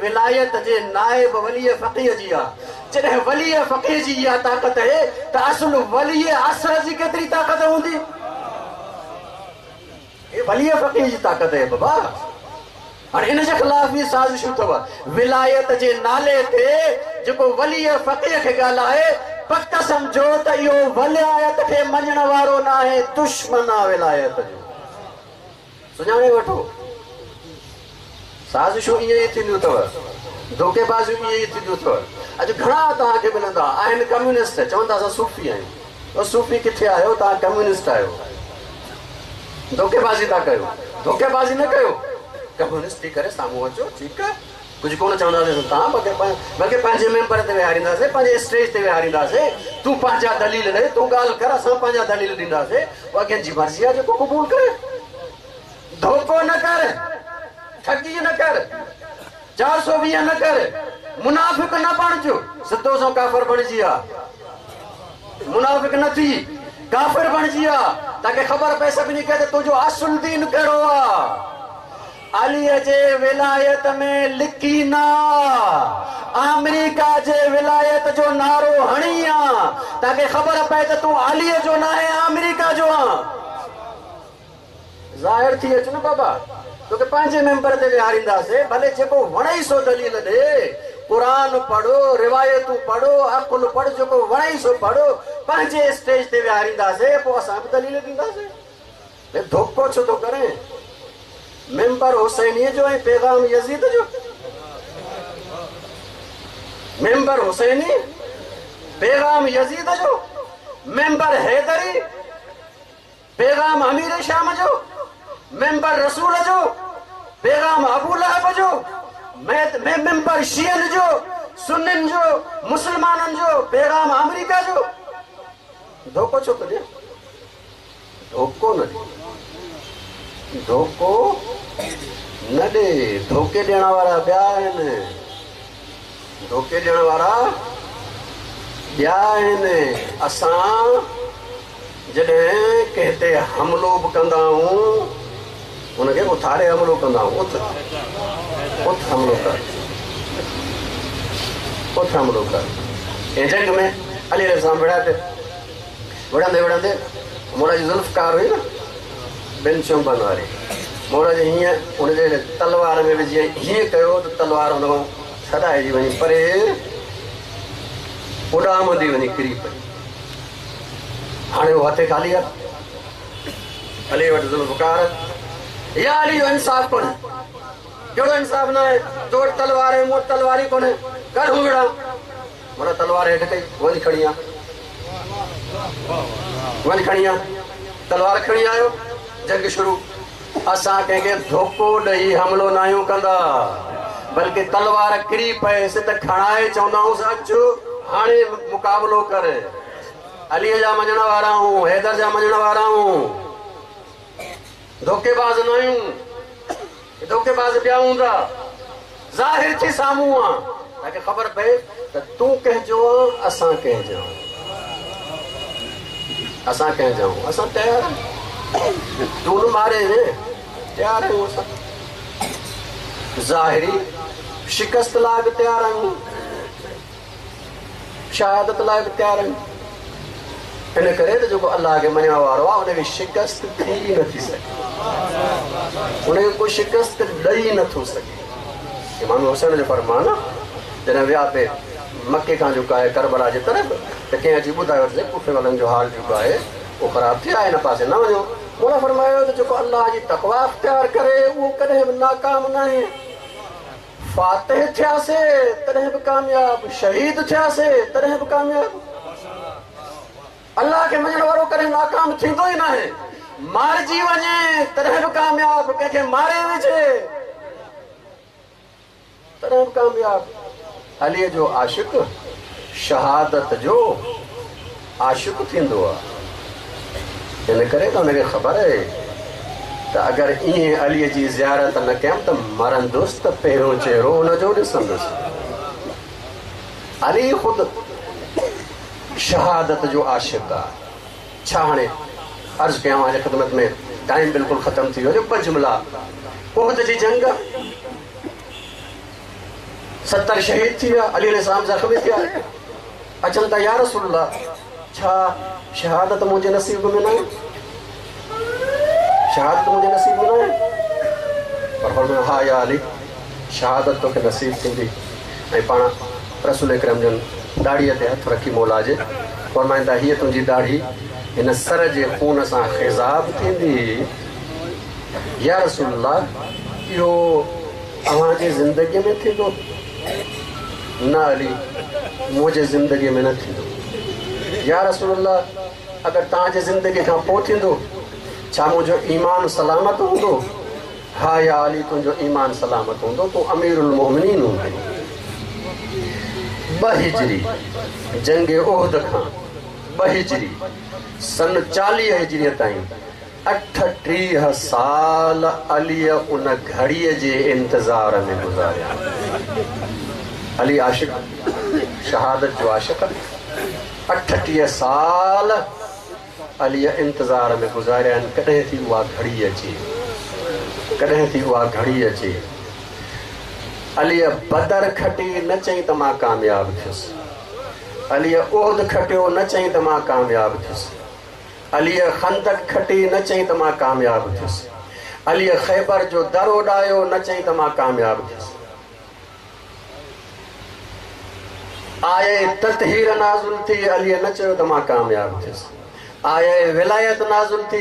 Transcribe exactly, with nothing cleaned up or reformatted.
विलायत जे नाइब वली फ़क़ीह जी आहे। जॾहिं वली फ़क़ीह जी इहा ताक़त आहे त असुल वली असर जी केतिरी ताक़त हूंदी? हे वली फ़क़ीह जी ताक़त आहे बाबा। हाणे इन जे ख़िलाफ़ बि साज़िशूं अथव। विलायत जे नाले ते जेको वली फ़क़ीह खे ॻाल्हाए, पक सम्झो त इहो विलायत खे मञण वारो न आहे, दुश्मन आहे विलायत जो। सुञाणे वठो, साज़िशूं ईअं ई थींदियूं अथव, धोखेबाज़ियूं ईअं ई थींदियूं अथव। अॼु घणा तव्हांखे मिलंदा आहिनि कम्यूनिस्ट, चवंदा असां सूफ़ी आहियूं। सूफ़ी किथे आहियो? तव्हां कम्यूनिस्ट आहियो, धोखेबाज़ी था कयो। धोखेबाज़ी न कयो, कम्यूनिस्ट थी करे साम्हूं अचो, ठीकु आहे, कुझु कोन चवंदासीं तव्हां, बल्कि पंहिंजे मेंबर ते विहारींदासीं, पंहिंजे स्टेज ते विहारींदासीं। तूं पंहिंजा दलील ॾे, तूं ॻाल्हि कर, असां पंहिंजा दलील ॾींदासीं। उहा कंहिंजी मर्ज़ी आहे जेको क़बूल करे। धोखो न कर, ठगी न कर, चारि सौ वीह न कर, मुनाफ़िक न बणिजो, सिधो सो काफ़िर बणिजी आ। मुनाफ़िक न थी, काफ़िर बणिजी आ, ताकी ख़बर पए सभिनी खे त तुंहिंजो असुल दीन कहिड़ो आहे। अलीअ जे विलायत में लिकी न, अमेरिका जे विलायत जो नारो हणी आ, ताकी ख़बर पए त तूं अलीअ जो न आहे, अमेरिका जो आहे। ज़ाहिर थी अच न बाबा, तोखे पंहिंजे मेंबर ते विहारींदासीं, भले जेको वणई सो दलील ॾे। क़ुर पढ़ो, रिवायतूं पढ़ो, अक़ुल पढ़, जेको वणई सो पढ़ो, पंहिंजे स्टेज ते विहारींदासीं, पोइ असां बि दलील ॾींदासीं। धोखो छो थो करे? मेंबर हुसैनीअ जो ऐं पैगाम यज़ीद जो। मेंबर हुसैनी, पैगाम यज़ीद जो। मेंबर हैदरी, पैगाम अमीर शाम जो। मेंबर रसूल जो, पैगाम अबू लहब जो। मेंबर शियन जो, सुन्निन जो, मुसलमाननि जो, पैगाम अमेरिका जो। धोखो छो थो ॾिए? धोखो न ॾे, धोखो न ॾे। धोखे ॾियण वारा ॿिया आहिनि, धोखे ॾियण वारा ॿिया आहिनि। असां जॾहिं कंहिं ते हमिलो बि कंदा आहियूं, उनखे उथारे हमिलो कंदा आहियूं। उथ उथ हमिलो कर, उथ हमिलो कर। ऐं जंग में अली सां विढ़ा पिया, विढ़ंदे विढ़ंदे मोरा जी ज़ुल्फ़कार हुई न, ॿिनि चुंबनि वारी, मोरा जी हीअं हुनजे तलवार में विझी हीअं कयो त तलवार हुन खां छॾाइजी वञी परे उॾामंदी वञी किरी पई। हाणे उहो हथे ख़ाली आहे, अली वटि ज़ुल्फ़कार। या अली जो इंसाफ़ कोन्हे, कहिड़ो इंसाफ़ न आहे? तो वटि तलवार आहे, मूं वटि तलवार ई कोन्हे, कढूं विढ़ा। मोरा तलवार हेठि कई, वञ खणी आ, वञ खणी आ। तलवार खणी आयो, जंग शुरू। असां कंहिंखे धोखो ॾेई हमिलो न आहियूं कंदा, बल्कि तलवार किरी पएसि त खणाए चवंदा आहियूंसि अचु हाणे मुक़ाबिलो कर। अलीअ जा मञण वारा आहियूं, हैदर जा मञण वारा आहियूं, धोखेबाज़ न आहियूं। धोखेबाज़ ॿिया हूंदा, ज़ाहिर थी साम्हूं आहे, ताकी ख़बर पए त तूं कंहिंजो आहे, असां कंहिंजो आहियूं, असां कंहिंजा आहियूं, असां तयारु आहियूं। तूं न मारे रे, तयारु आहियूं असां। ज़ाहिरी शिकस्त लाइ बि तयारु आहियूं, शहादत लाइ बि तयारु आहियूं। इन करे त जेको अलाह खे मञण वारो आहे, हुनखे शिकस्त थी नथी सघे, हुनखे को शिकस्त ॾेई नथो सघे। इमाम हुसैन जो फरमान, जॾहिं विया पे मक्के खां जेको आहे करबला जे तरफ़, त कंहिं अची ॿुधायो त कुफे वारनि जो हाल जेको आहे उहो ख़राबु थियो आहे, हिन पासे न वञो। मौला फरमायो त जेको अलाह जी तक़वा अख़्तियार करे उहो कॾहिं बि नाकाम न आहे। फातिह थियासीं तॾहिं बि कामयाबु, शहीद थियासीं तॾहिं बि कामयाबु। अलाह खे मञण वारो कॾहिं नाकाम थींदो ई न आहे। मारिजी वञे तॾहिं बि कामयाबु, कंहिंखे मारे विझे तॾहिं बि कामयाबु। अलीअ जो आशिक शहादत जो आशिक थींदो आहे। इन करे त हुनखे ख़बर आहे त अगरि ईअं अलीअ जी ज़ियारत न कयमि त मरंदुसि त पहिरियों चहिरो हुनजो ॾिसंदुसि। अली ख़ुदि शहादत जो आशिक आहे। छा हाणे अर्ज़ कयां अव्हांजे ख़िदमत में, टाइम बिल्कुलु ख़तमु थी वियो। ॿ जुमिला, उहद जी जंग सत्तर शहीद थी विया, अली अलैहिस्सलाम ज़ख़्मी थिया। अचनि था, या रसूलुल्लाह, छा शहादत मुंहिंजे नसीब में न आहे? शहादत मुंहिंजे नसीब में न आहे? पर फरमायो, हा या अली, शहादत तोखे नसीब थींदी। ऐं पाण रसूल अकरम जन ॾाढ़ीअ ते हथु रखी मौला जे फरमाइनि था, हीअ तुंहिंजी ॾाढ़ी हिन सर जे खून सां ख़िज़ाब थींदी। या रसूलुल्लाह, इहो अव्हांजे ज़िंदगीअ में थींदो? न अली, मुंहिंजे ज़िंदगीअ में न थींदो। या रसूलुल्लाह, अगरि तव्हांजे ज़िंदगीअ खां पोइ थींदो, छा मुंहिंजो ईमान सलामत हूंदो? हा या अली, तुंहिंजो ईमान सलामत हूंदो, तूं अमीरुल मोमिनीन हूंदो। ॿ हिजरी जंग उहद खां ॿ हिजरी सन चालीह हिजरीअ ताईं अठटीह साल अलीअ उन घड़ीअ जे इंतज़ार में गुज़ारिया। अली आशिक, शहादत जो आशिक, अठटीह साल अलीअ इंतज़ार में गुज़ारिया आहिनि, कॾहिं थी उहा घड़ी अचे, कॾहिं थी उहा घड़ी अचे। अलीअ बदर खटी, न चई त मां कामयाबु थियुसि। अलीअ उहद खटियो, न चई त मां कामयाबु थियुसि। अलीअ खंदक खटी, न चई त मां कामयाबु थियुसि। अलीअ ख़ैबर जो दर उॾायो, न चई त मां कामयाबु थियुसि। आए ततहीर नाज़िल थी, अलीअ न चयो त मां कामयाबु थियुसि। आए विलायत नाज़िल थी।